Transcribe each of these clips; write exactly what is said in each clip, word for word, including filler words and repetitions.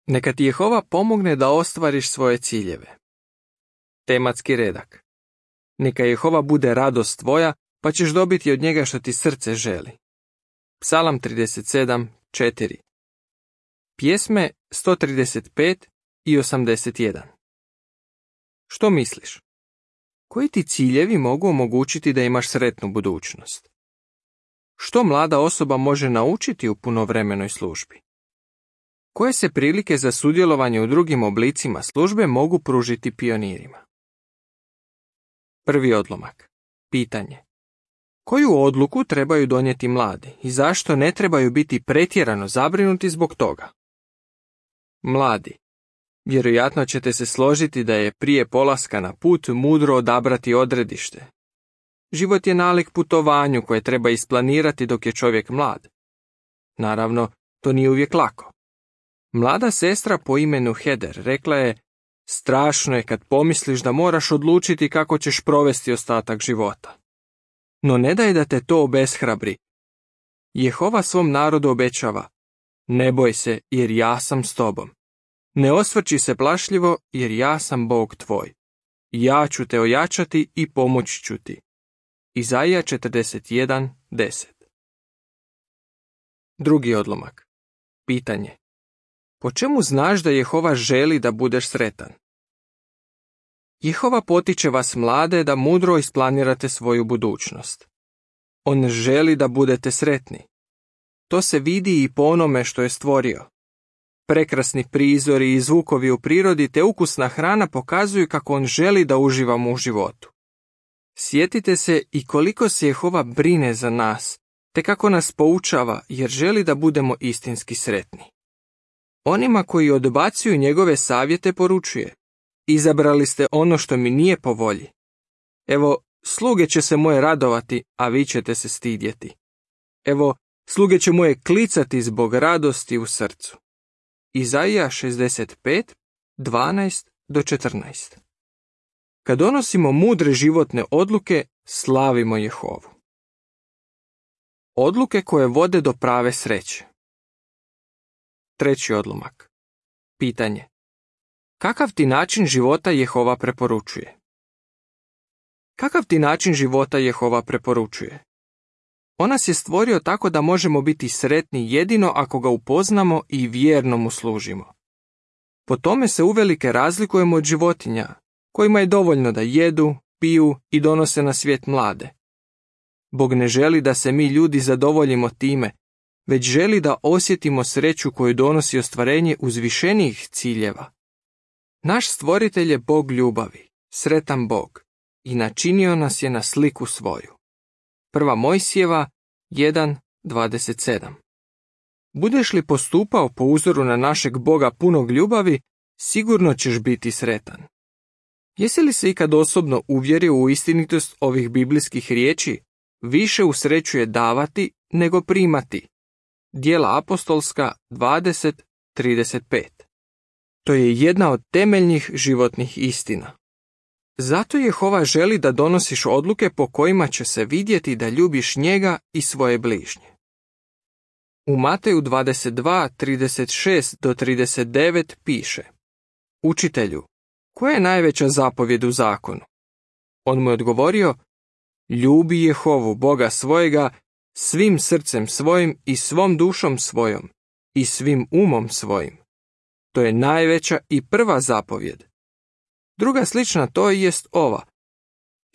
Neka ti Jehova pomogne da ostvariš svoje ciljeve. Tematski redak. Neka Jehova bude radost tvoja, pa ćeš dobiti od njega što ti srce želi. Psalam trideset sedam, četiri. Pjesme sto trideset pet i osamdeset jedan. Što misliš? Koji ti ciljevi mogu omogućiti da imaš sretnu budućnost? Što mlada osoba može naučiti u punovremenoj službi? Koje se prilike za sudjelovanje u drugim oblicima službe mogu pružiti pionirima? Prvi odlomak. Pitanje. Koju odluku trebaju donijeti mladi i zašto ne trebaju biti pretjerano zabrinuti zbog toga? Mladi. Vjerojatno ćete se složiti da je prije polaska na put mudro odabrati odredište. Život je nalik putovanju koje treba isplanirati dok je čovjek mlad. Naravno, to nije uvijek lako. Mlada sestra po imenu Heder rekla je: strašno je kad pomisliš da moraš odlučiti kako ćeš provesti ostatak života. No ne daj da te to obeshrabri. Jehova svom narodu obećava: ne boj se, jer ja sam s tobom. Ne osvrći se plašljivo, jer ja sam Bog tvoj. Ja ću te ojačati i pomoći ću ti. Izaija četrdeset jedan, deset. Drugi odlomak. Pitanje. Po čemu znaš da Jehova želi da budeš sretan? Jehova potiče vas mlade da mudro isplanirate svoju budućnost. On želi da budete sretni. To se vidi i po onome što je stvorio. Prekrasni prizori i zvukovi u prirodi te ukusna hrana pokazuju kako on želi da uživamo u životu. Sjetite se i koliko se Jehova brine za nas, te kako nas poučava jer želi da budemo istinski sretni. Onima koji odbacuju njegove savjete poručuje: izabrali ste ono što mi nije po volji. Evo, sluge će se moje radovati, a vi ćete se stidjeti. Evo, sluge će moje klicati zbog radosti u srcu. Izaija šezdeset pet, dvanaest do četrnaest. Kad donosimo mudre životne odluke, slavimo Jehovu. Odluke koje vode do prave sreće. Treći odlomak. Pitanje. Kakav ti način života Jehova preporučuje? Kakav ti način života Jehova preporučuje? On nas je stvorio tako da možemo biti sretni jedino ako ga upoznamo i vjerno mu služimo. Po tome se uvelike razlikujemo od životinja, kojima je dovoljno da jedu, piju i donose na svijet mlade. Bog ne želi da se mi ljudi zadovoljimo time, već želi da osjetimo sreću koju donosi ostvarenje uzvišenijih ciljeva. Naš stvoritelj je Bog ljubavi, sretan Bog, i načinio nas je na sliku svoju. Prva Mojsijeva jedan, dvadeset sedam. Budeš li postupao po uzoru na našeg Boga punog ljubavi, sigurno ćeš biti sretan. Jesi li se ikad osobno uvjerio u istinitost ovih biblijskih riječi? Više usrećuje davati nego primati. Djela apostolska dvadeset, trideset pet. To je jedna od temeljnih životnih istina. Zato Jehova želi da donosiš odluke po kojima će se vidjeti da ljubiš njega i svoje bližnje. U Mateju dvadeset dva, trideset šest do trideset devet piše: Učitelju, koja je najveća zapovjed u zakonu? On mu je odgovorio: ljubi Jehovu, Boga svojega, svim srcem svojim i svom dušom svojom i svim umom svojim. To je najveća i prva zapovjed. Druga slična to jest ova: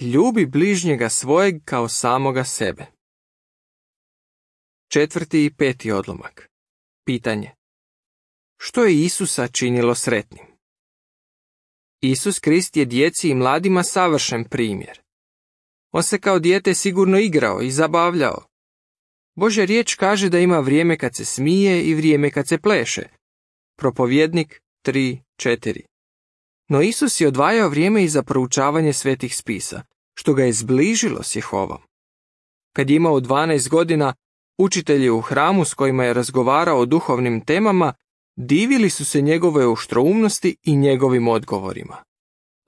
ljubi bližnjega svojeg kao samoga sebe. Četvrti i peti odlomak. Pitanje. Što je Isusa činilo sretnim? Isus Krist je djeci i mladima savršen primjer. On se kao dijete sigurno igrao i zabavljao. Božja riječ kaže da ima vrijeme kad se smije i vrijeme kad se pleše. Propovjednik tri, četiri. No Isus je odvajao vrijeme i za proučavanje svetih spisa, što ga je zbližilo s Jehovom. Kad je imao dvanaest godina, učitelji u hramu s kojima je razgovarao o duhovnim temama divili su se njegove oštroumnosti i njegovim odgovorima.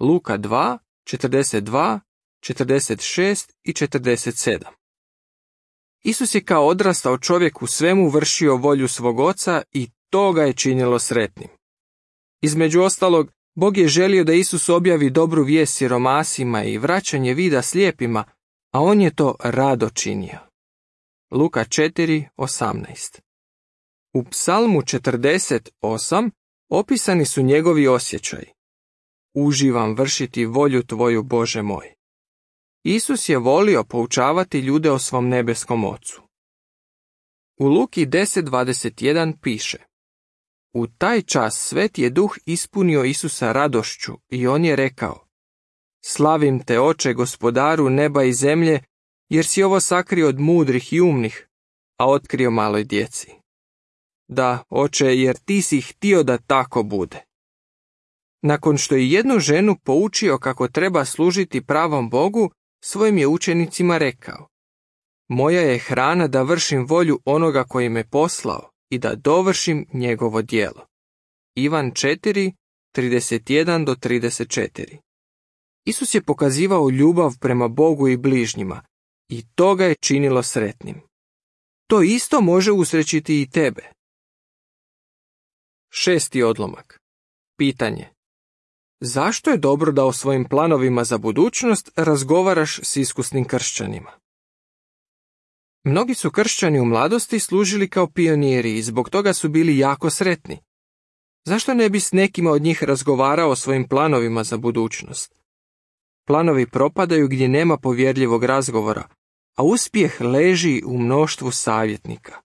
Luka dva, četrdeset dva, četrdeset šest i četrdeset sedam. Isus je kao odrastao čovjek u svemu vršio volju svog oca i to ga je činilo sretnim. Između ostalog, Bog je želio da Isus objavi dobru vijest siromasima i vraćanje vida slijepima, a on je to rado činio. Luka četiri osamnaest. U Psalmu četrdeset osam opisani su njegovi osjećaji. Uživam vršiti volju tvoju, Bože moj. Isus je volio poučavati ljude o svom nebeskom Ocu. U Luki deset dvadeset jedan piše: U taj čas Sveti je Duh ispunio Isusa radošću i on je rekao: Slavim te, Oče, Gospodaru neba i zemlje, jer si ovo sakrio od mudrih i umnih, a otkrio maloj djeci. Da, Oče, jer ti si htio da tako bude. Nakon što je jednu ženu poučio kako treba služiti pravom Bogu, svojim je učenicima rekao: Moja je hrana da vršim volju onoga koji me poslao i da dovršim njegovo djelo. Ivan četiri trideset jedan do trideset četiri. Isus je pokazivao ljubav prema Bogu i bližnjima i to ga je činilo sretnim. To isto može usrećiti i tebe. Šesti odlomak. Pitanje. Zašto je dobro da o svojim planovima za budućnost razgovaraš s iskusnim kršćanima? Mnogi su kršćani u mladosti služili kao pioniri i zbog toga su bili jako sretni. Zašto ne bi s nekima od njih razgovarao o svojim planovima za budućnost? Planovi propadaju gdje nema povjerljivog razgovora, a uspjeh leži u mnoštvu savjetnika.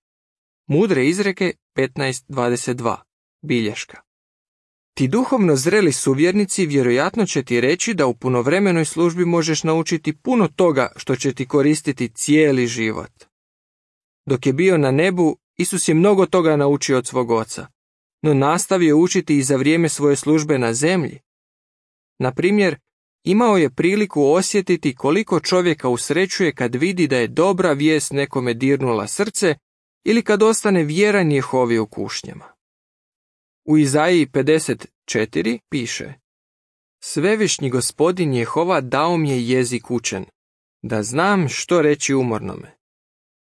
Mudre izreke petnaest dvadeset dva. Bilješka. Ti duhovno zreli suvjernici vjerojatno će ti reći da u punovremenoj službi možeš naučiti puno toga što će ti koristiti cijeli život. Dok je bio na nebu, Isus je mnogo toga naučio od svog oca, no nastavio učiti i za vrijeme svoje službe na zemlji. Na primjer, imao je priliku osjetiti koliko čovjeka usrećuje kad vidi da je dobra vijest nekome dirnula srce ili kad ostane vjeran Jehovi u kušnjama. U Izaiji pedeset četiri piše: Svevišnji Gospodin Jehova dao mi je jezik učen, da znam što reći umornome.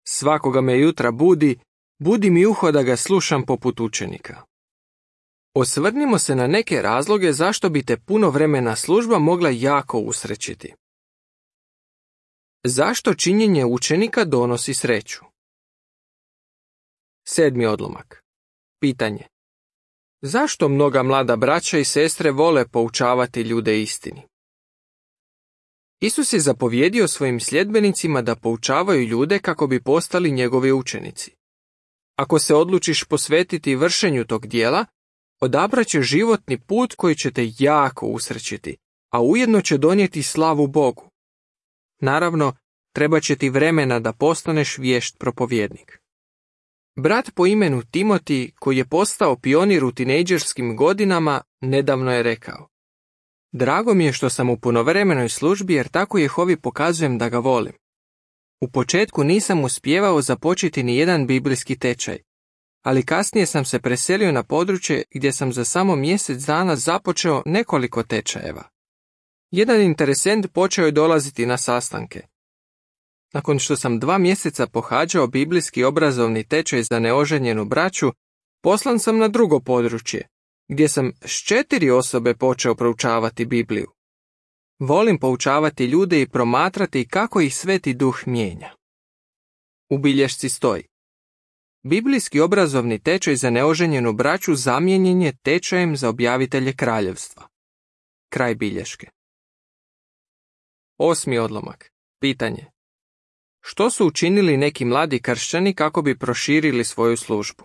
Svakoga me jutra budi, budi mi uho da ga slušam poput učenika. Osvrnimo se na neke razloge zašto bi te punovremena služba mogla jako usrećiti. Zašto činjenje učenika donosi sreću? Sedmi odlomak. Pitanje. Zašto mnoga mlada braća i sestre vole poučavati ljude istini? Isus je zapovjedio svojim sljedbenicima da poučavaju ljude kako bi postali njegovi učenici. Ako se odlučiš posvetiti vršenju tog dijela, odabraćeš životni put koji će te jako usrećiti, a ujedno će donijeti slavu Bogu. Naravno, treba će ti vremena da postaneš vješt propovjednik. Brat po imenu Timoti, koji je postao pionir u tinejdžerskim godinama, nedavno je rekao: Drago mi je što sam u punovremenoj službi jer tako Jehovi pokazujem da ga volim. U početku nisam uspijevao započeti ni jedan biblijski tečaj, ali kasnije sam se preselio na područje gdje sam za samo mjesec dana započeo nekoliko tečajeva. Jedan interesent počeo je dolaziti na sastanke. Nakon što sam dva mjeseca pohađao biblijski obrazovni tečaj za neoženjenu braću, poslan sam na drugo područje, gdje sam s četiri osobe počeo proučavati Bibliju. Volim poučavati ljude i promatrati kako ih Sveti Duh mijenja. U bilješci stoji: Biblijski obrazovni tečaj za neoženjenu braću zamijenjen je tečajem za objavitelje kraljevstva. Kraj bilješke. Osmi odlomak. Pitanje. Što su učinili neki mladi kršćani kako bi proširili svoju službu?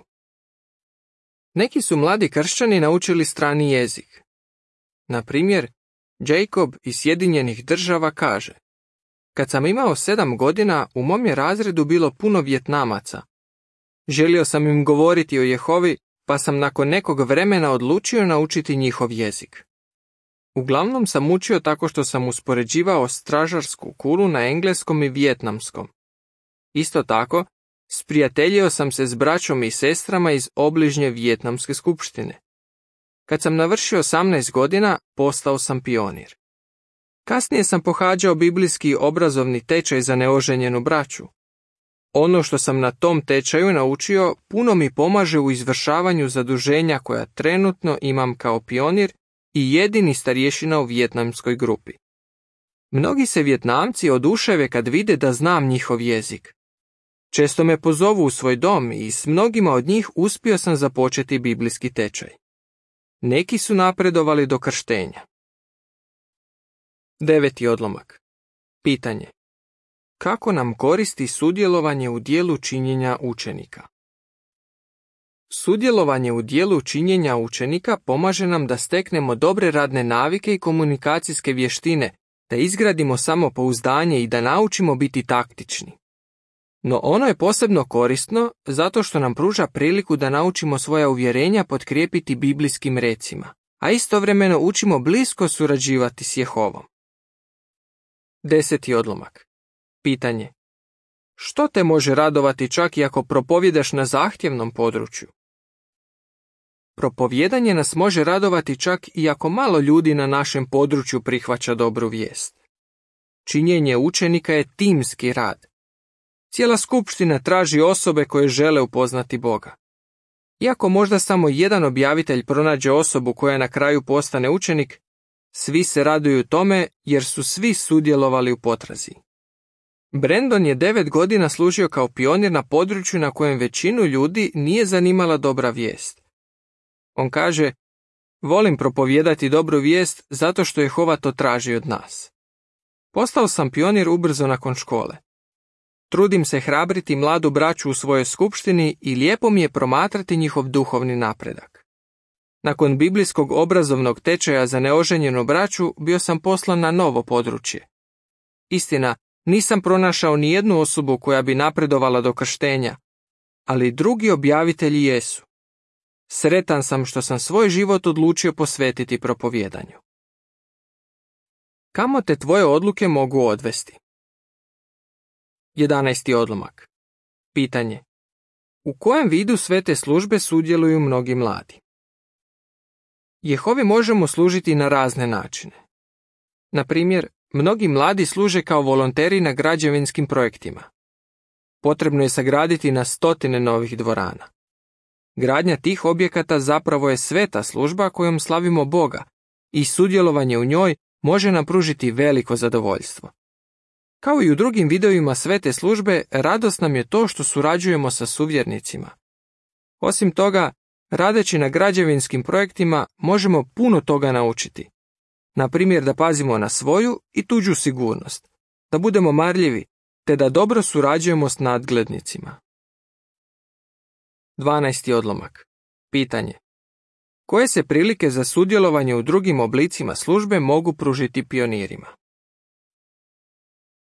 Neki su mladi kršćani naučili strani jezik. Na primjer, Jacob iz Sjedinjenih Država kaže: Kad sam imao sedam godina, u mom je razredu bilo puno Vjetnamaca. Želio sam im govoriti o Jehovi, pa sam nakon nekog vremena odlučio naučiti njihov jezik. Uglavnom sam učio tako što sam uspoređivao stražarsku kulu na engleskom i vijetnamskom. Isto tako, sprijateljio sam se s braćom i sestrama iz obližnje vijetnamske skupštine. Kad sam navršio osamnaest godina, postao sam pionir. Kasnije sam pohađao biblijski obrazovni tečaj za neoženjenu braću. Ono što sam na tom tečaju naučio puno mi pomaže u izvršavanju zaduženja koja trenutno imam kao pionir i jedini starješina u vijetnamskoj grupi. Mnogi se Vijetnamci oduševe kad vide da znam njihov jezik. Često me pozovu u svoj dom i s mnogima od njih uspio sam započeti biblijski tečaj. Neki su napredovali do krštenja. Deveti odlomak. Pitanje. Kako nam koristi sudjelovanje u dijelu činjenja učenika? Sudjelovanje u dijelu činjenja učenika pomaže nam da steknemo dobre radne navike i komunikacijske vještine, da izgradimo samopouzdanje i da naučimo biti taktični. No ono je posebno korisno zato što nam pruža priliku da naučimo svoja uvjerenja potkrijepiti biblijskim recima, a istovremeno učimo blisko surađivati s Jehovom. Deseti odlomak. Pitanje. Što te može radovati čak i ako propovjedaš na zahtjevnom području? Propovjedanje nas može radovati čak i ako malo ljudi na našem području prihvaća dobru vijest. Činjenje učenika je timski rad. Cijela skupština traži osobe koje žele upoznati Boga. Iako možda samo jedan objavitelj pronađe osobu koja na kraju postane učenik, svi se raduju tome jer su svi sudjelovali u potrazi. Brandon je devet godina služio kao pionir na području na kojem većinu ljudi nije zanimala dobra vijest. On kaže, volim propovijedati dobru vijest zato što Jehova to traži od nas. Postao sam pionir ubrzo nakon škole. Trudim se hrabriti mladu braću u svojoj skupštini i lijepo mi je promatrati njihov duhovni napredak. Nakon biblijskog obrazovnog tečaja za neoženjenu braću bio sam poslan na novo područje. Istina, nisam pronašao ni jednu osobu koja bi napredovala do krštenja, ali drugi objavitelji jesu. Sretan sam što sam svoj život odlučio posvetiti propovijedanju. Kamo te tvoje odluke mogu odvesti? Jedanaesti odlomak. Pitanje. U kojem vidu svete službe sudjeluju mnogi mladi? Jehovi možemo služiti na razne načine. Na primjer, mnogi mladi služe kao volonteri na građevinskim projektima. Potrebno je sagraditi na stotine novih dvorana. Gradnja tih objekata zapravo je sveta služba kojom slavimo Boga i sudjelovanje u njoj može nam pružiti veliko zadovoljstvo. Kao i u drugim vidovima svete službe, radost nam je to što surađujemo sa suvjernicima. Osim toga, radeći na građevinskim projektima možemo puno toga naučiti. Na primjer da pazimo na svoju i tuđu sigurnost, da budemo marljivi, te da dobro surađujemo s nadglednicima. Dvanaesti odlomak. Pitanje. Koje se prilike za sudjelovanje u drugim oblicima službe mogu pružiti pionirima?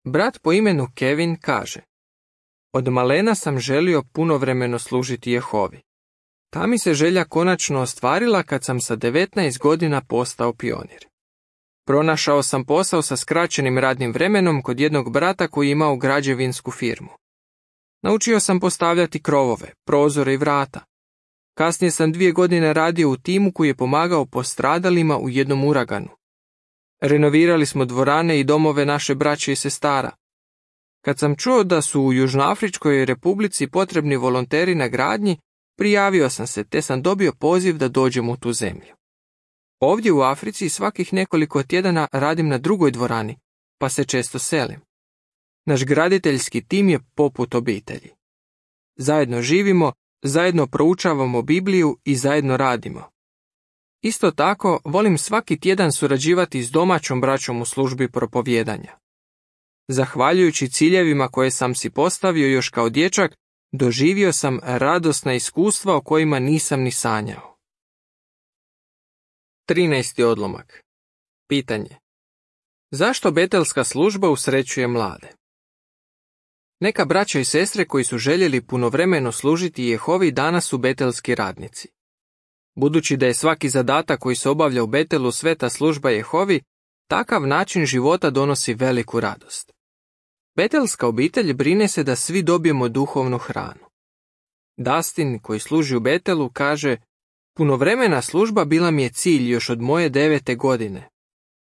Brat po imenu Kevin kaže: Od malena sam želio punovremeno služiti Jehovi. Ta mi se želja konačno ostvarila kad sam sa devetnaest godina postao pionir. Pronašao sam posao sa skraćenim radnim vremenom kod jednog brata koji je imao građevinsku firmu. Naučio sam postavljati krovove, prozore i vrata. Kasnije sam dvije godine radio u timu koji je pomagao postradalima u jednom uraganu. Renovirali smo dvorane i domove naše braće i sestara. Kad sam čuo da su u Južnoafričkoj republici potrebni volonteri na gradnji, prijavio sam se te sam dobio poziv da dođem u tu zemlju. Ovdje u Africi svakih nekoliko tjedana radim na drugoj dvorani, pa se često selim. Naš graditeljski tim je poput obitelji. Zajedno živimo, zajedno proučavamo Bibliju i zajedno radimo. Isto tako, volim svaki tjedan surađivati s domaćom braćom u službi propovijedanja. Zahvaljujući ciljevima koje sam si postavio još kao dječak, doživio sam radosna iskustva o kojima nisam ni sanjao. Trinaesti odlomak. Pitanje. Zašto betelska služba usrećuje mlade? Neka braća i sestre koji su željeli punovremeno služiti Jehovi danas su betelski radnici. Budući da je svaki zadatak koji se obavlja u Betelu sveta služba Jehovi, takav način života donosi veliku radost. Betelska obitelj brine se da svi dobijemo duhovnu hranu. Dustin, koji služi u Betelu, kaže: Punovremena služba bila mi je cilj još od moje devete godine.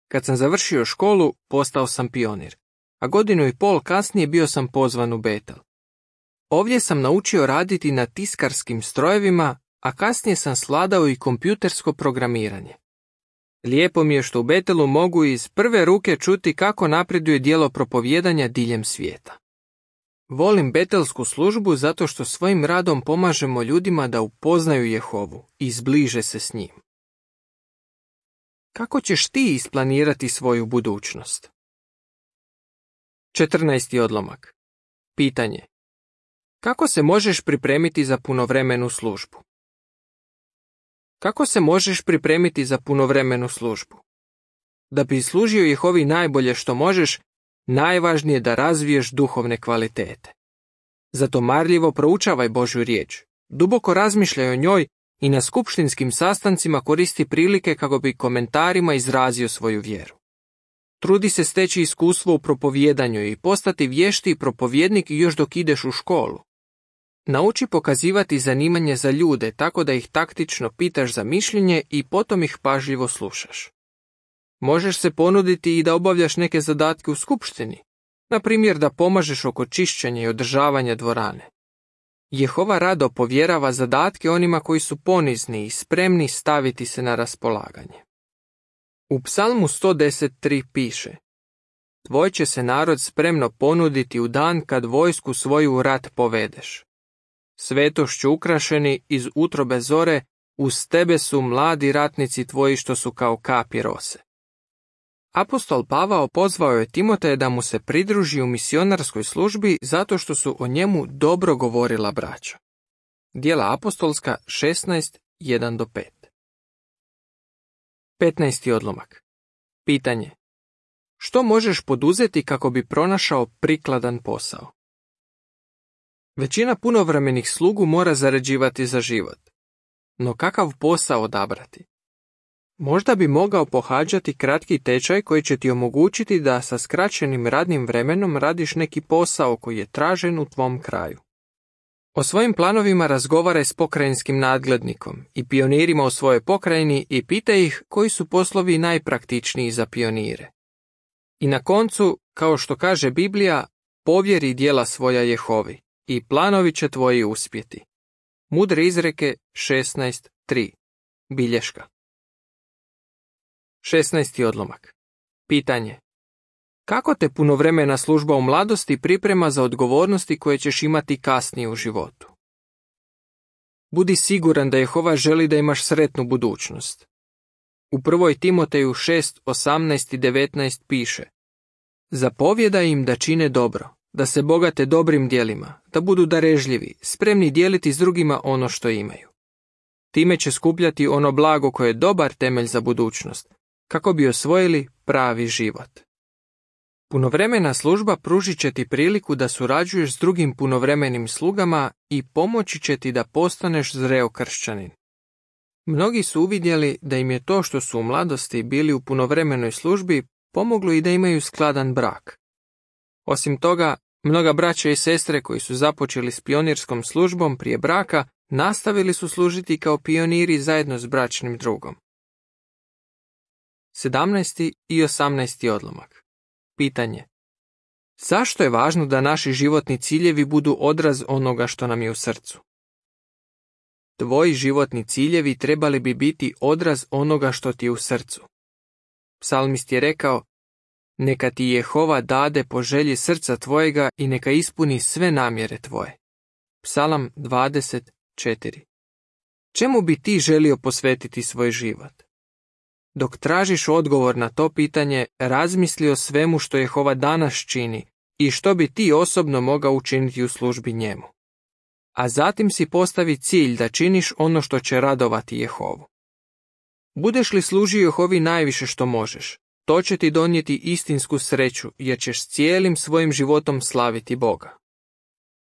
Kad sam završio školu, postao sam pionir, a godinu i pol kasnije bio sam pozvan u Betel. Ovdje sam naučio raditi na tiskarskim strojevima, a kasnije sam svladao i kompjutersko programiranje. Lijepo mi je što u Betelu mogu iz prve ruke čuti kako napreduje djelo propovijedanja diljem svijeta. Volim betelsku službu zato što svojim radom pomažemo ljudima da upoznaju Jehovu i zbliže se s njim. Kako ćeš ti isplanirati svoju budućnost? četrnaesti odlomak. Pitanje. Kako se možeš pripremiti za punovremenu službu? Kako se možeš pripremiti za punovremenu službu? Da bi služio Jehovi najbolje što možeš, najvažnije je da razviješ duhovne kvalitete. Zato marljivo proučavaj Božju riječ, duboko razmišljaj o njoj i na skupštinskim sastancima koristi prilike kako bi komentarima izrazio svoju vjeru. Trudi se steći iskustvo u propovijedanju i postati vješti propovjednik još dok ideš u školu. Nauči pokazivati zanimanje za ljude tako da ih taktično pitaš za mišljenje i potom ih pažljivo slušaš. Možeš se ponuditi i da obavljaš neke zadatke u skupštini, na primjer da pomažeš oko čišćenja i održavanja dvorane. Jehova rado povjerava zadatke onima koji su ponizni i spremni staviti se na raspolaganje. U Psalmu sto deset tri piše: Tvoj će se narod spremno ponuditi u dan kad vojsku svoju u rat povedeš. Svetošću ukrašeni iz utrobe zore, uz tebe su mladi ratnici tvoji što su kao kapi rose. Apostol Pavao pozvao je Timoteja da mu se pridruži u misionarskoj službi zato što su o njemu dobro govorila braća. Djela apostolska šesnaest jedan do pet. petnaesti odlomak. Pitanje. Što možeš poduzeti kako bi pronašao prikladan posao? Većina punovremenih slugu mora zarađivati za život. No kakav posao odabrati? Možda bi mogao pohađati kratki tečaj koji će ti omogućiti da sa skraćenim radnim vremenom radiš neki posao koji je tražen u tvom kraju. O svojim planovima razgovaraj s pokrajinskim nadglednikom i pionirima u svojoj pokrajini i pitaj ih koji su poslovi najpraktičniji za pionire. I na koncu, kao što kaže Biblija, povjeri djela svoja Jehovi i planovi će tvoji uspjeti. Mudre izreke šesnaest tri. Bilješka. šesnaesti odlomak. Pitanje. Kako te punovremena služba u mladosti priprema za odgovornosti koje ćeš imati kasnije u životu? Budi siguran da Jehova želi da imaš sretnu budućnost. U prvoj Timoteju šest osamnaest i devetnaest piše: Zapovjedaj im da čine dobro, da se bogate dobrim djelima, da budu darežljivi, spremni dijeliti s drugima ono što imaju. Time će skupljati ono blago koje je dobar temelj za budućnost, kako bi osvojili pravi život. Punovremena služba pružit će ti priliku da surađuješ s drugim punovremenim slugama i pomoći će ti da postaneš zreo kršćanin. Mnogi su uvidjeli da im je to što su u mladosti bili u punovremenoj službi pomoglo i da imaju skladan brak. Osim toga, mnoga braća i sestre koji su započeli s pionirskom službom prije braka nastavili su služiti kao pioniri zajedno s bračnim drugom. sedamnaesti i osamnaesti odlomak. Pitanje. Zašto je važno da naši životni ciljevi budu odraz onoga što nam je u srcu? Tvoji životni ciljevi trebali bi biti odraz onoga što ti je u srcu. Psalmist je rekao: Neka ti Jehova dade po želji srca tvojega i neka ispuni sve namjere tvoje. Psalam dvadeset četiri. Čemu bi ti želio posvetiti svoj život? Dok tražiš odgovor na to pitanje, razmisli o svemu što Jehova danas čini i što bi ti osobno mogao učiniti u službi njemu. A zatim si postavi cilj da činiš ono što će radovati Jehovu. Budeš li služio Jehovi najviše što možeš, to će ti donijeti istinsku sreću jer ćeš cijelim svojim životom slaviti Boga.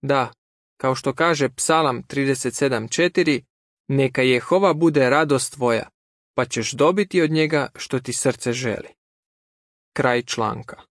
Da, kao što kaže Psalam trideset sedam četiri, neka Jehova bude radost tvoja, pa ćeš dobiti od njega što ti srce želi. Kraj članka.